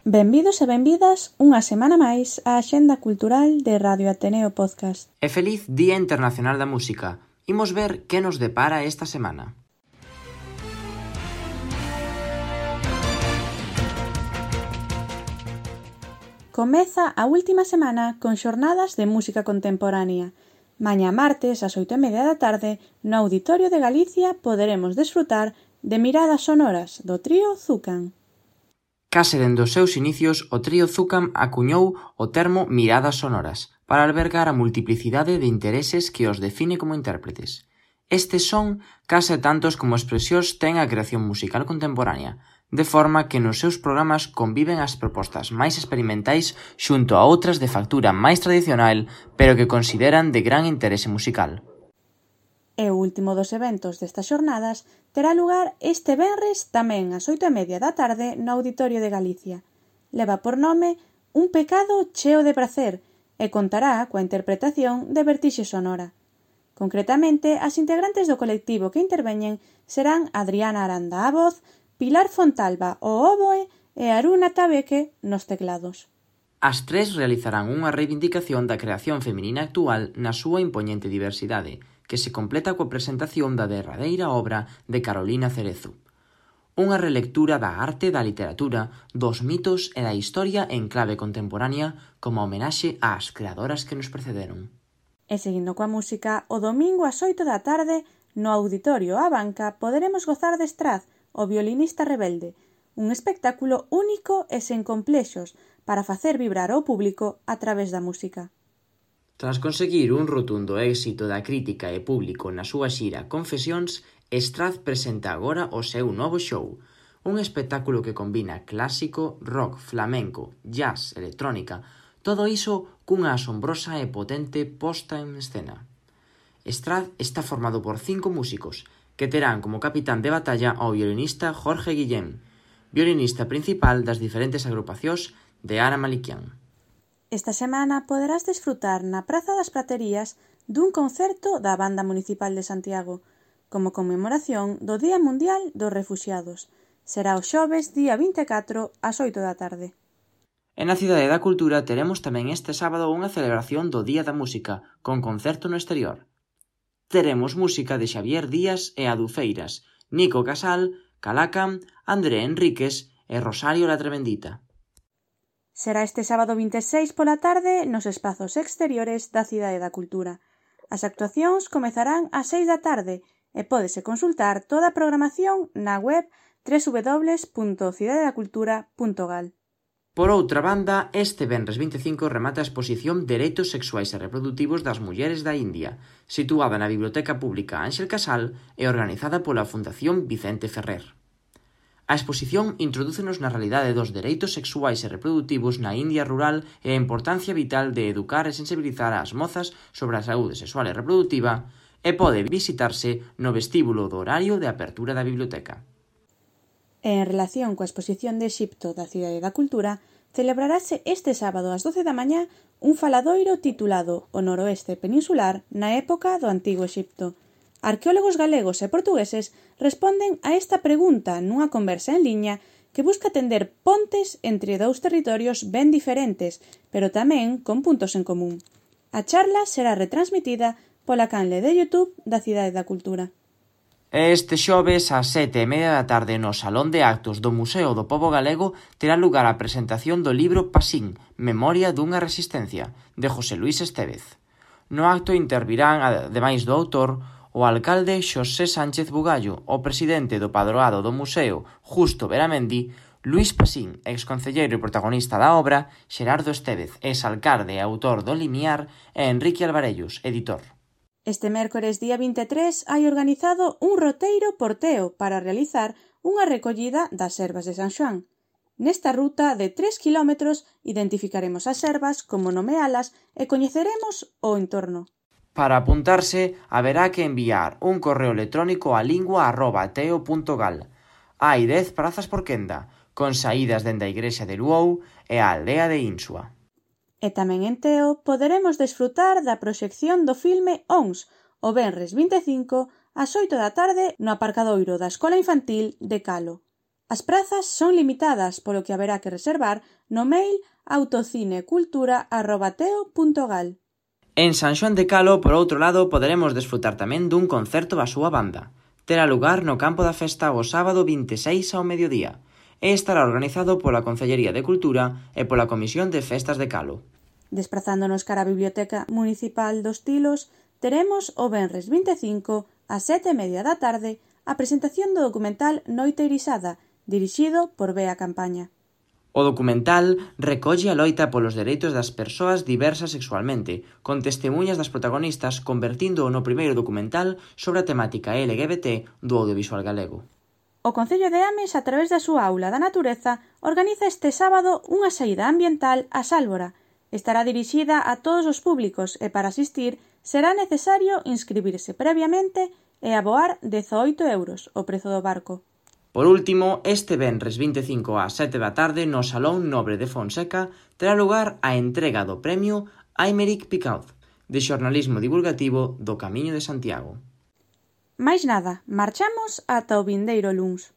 Benvidos e benvidas unha semana máis á Axenda Cultural de Radio Ateneo Podcast. E feliz Día Internacional da Música. Imos ver que nos depara esta semana. Comeza a última semana con xornadas de música contemporánea. Mañá martes, ás 8:30 da tarde, no Auditorio de Galicia poderemos desfrutar de Miradas Sonoras do trío Zucan. Case dende os seus inicios, o trío Zucan acuñou o termo miradas sonoras para albergar a multiplicidade de intereses que os define como intérpretes. Estes son case tantos como expresións ten a creación musical contemporánea, de forma que nos seus programas conviven as propostas máis experimentais xunto a outras de factura máis tradicional, pero que consideran de gran interese musical. E o último dos eventos destas xornadas terá lugar este venres tamén ás 8:30 da tarde no Auditorio de Galicia. Leva por nome Un pecado cheo de pracer e contará coa interpretación de Vertixe Sonora. Concretamente, as integrantes do colectivo que interveñen serán Adriana Aranda á voz, Pilar Fontalba ao oboe e Aruna Tabeque nos teclados. As tres realizarán unha reivindicación da creación feminina actual na súa impoñente diversidade, que se completa coa presentación da derradeira obra de Carolina Cerezo. Unha relectura da arte, da literatura, dos mitos e da historia en clave contemporánea como homenaxe ás creadoras que nos precederon. E seguindo coa música, o domingo ás 8 da tarde, no Auditorio á Banca, poderemos gozar de Straz, o violinista rebelde, un espectáculo único e sen complexos para facer vibrar ao público a través da música. Tras conseguir un rotundo éxito da crítica e público na súa xira Confesións, Straz presenta agora o seu novo show, un espectáculo que combina clásico, rock, flamenco, jazz, electrónica, todo iso cunha asombrosa e potente posta en escena. Straz está formado por 5 músicos, que terán como capitán de batalla ao violinista Jorge Guillén, violinista principal das diferentes agrupacións de Ara Malikian. Esta semana poderás desfrutar na Praza das Praterías dun concerto da Banda Municipal de Santiago, como conmemoración do Día Mundial dos Refuxiados. Será o xoves día 24 ás 8 da tarde. E na Cidade da Cultura teremos tamén este sábado unha celebración do Día da Música, con concerto no exterior. Teremos música de Xavier Díaz e Adufeiras, Nico Casal, Calacan, André Enríquez e Rosario La Tremendita. Será este sábado 26 pola tarde nos espazos exteriores da Cidade da Cultura. As actuacións comezarán ás 6 da tarde e pódese consultar toda a programación na web www.cidadedacultura.gal. Por outra banda, este venres 25 remata a exposición Dereitos Sexuais e Reprodutivos das Mulleres da India, situada na Biblioteca Pública Ángel Casal e organizada pola Fundación Vicente Ferrer. A exposición introdúcenos na realidade dos dereitos sexuais e reprodutivos na India rural e a importancia vital de educar e sensibilizar ás mozas sobre a saúde sexual e reprodutiva e pode visitarse no vestíbulo do horario de apertura da biblioteca. En relación coa exposición de Exipto da Cidade da Cultura, celebrarase este sábado ás 12 da mañá un faladoiro titulado O Noroeste Peninsular na época do Antigo Exipto. Arqueólogos galegos e portugueses responden a esta pregunta nunha conversa en liña que busca tender pontes entre dous territorios ben diferentes, pero tamén con puntos en común. A charla será retransmitida pola canle de YouTube da Cidade da Cultura. Este xoves ás 7:30 da tarde no Salón de Actos do Museo do Pobo Galego terá lugar a presentación do libro Pasín, Memoria dunha resistencia, de José Luis Estévez. No acto intervirán, ademais do autor, o alcalde Xosé Sánchez Bugallo, o presidente do padroado do museo, Justo Beramendi, Luís Pasín, exconcelleiro e protagonista da obra, Xerardo Estévez, exalcalde e autor do Limiar, e Enrique Alvarellos, editor. Este mércores día 23 hai organizado un roteiro porteo para realizar unha recollida das servas de San Xoán. Nesta ruta de 3 kilómetros identificaremos as servas, como nomealas e coñeceremos o entorno. Para apuntarse, haberá que enviar un correo electrónico a lingua@teo.gal. Hai 10 prazas por quenda, con saídas dende a igrexa de Luou e a aldea de Insua. E tamén en Teo poderemos desfrutar da proxección do filme ONS, o venres 25 ás 8 da tarde no aparcadoiro da Escola Infantil de Calo. As prazas son limitadas, polo que haberá que reservar no mail autocinecultura@teo.gal. En San Xoán de Calo, por outro lado, poderemos desfrutar tamén dun concerto da súa banda. Terá lugar no campo da festa o sábado 26 ao mediodía e estará organizado pola Concellería de Cultura e pola Comisión de Festas de Calo. Desplazándonos cara á Biblioteca Municipal dos Tilos, teremos o venres 25 ás 7:30 da tarde a presentación do documental Noite Irisada, dirixido por Bea Campaña. O documental recolle a loita polos dereitos das persoas diversas sexualmente, con testemunhas das protagonistas, convertíndoo no primeiro documental sobre a temática LGBT do audiovisual galego. O Concello de Ames, a través da súa aula da natureza, organiza este sábado unha saída ambiental á Sálvora. Estará dirixida a todos os públicos e para asistir será necesario inscribirse previamente e aboar 18 euros, o prezo do barco. Por último, este venres 25 ás 7 da tarde no Salón Nobre de Fonseca terá lugar a entrega do premio Aymeric Picaud, de xornalismo divulgativo do Camiño de Santiago. Máis nada, marchamos ata o vindeiro luns.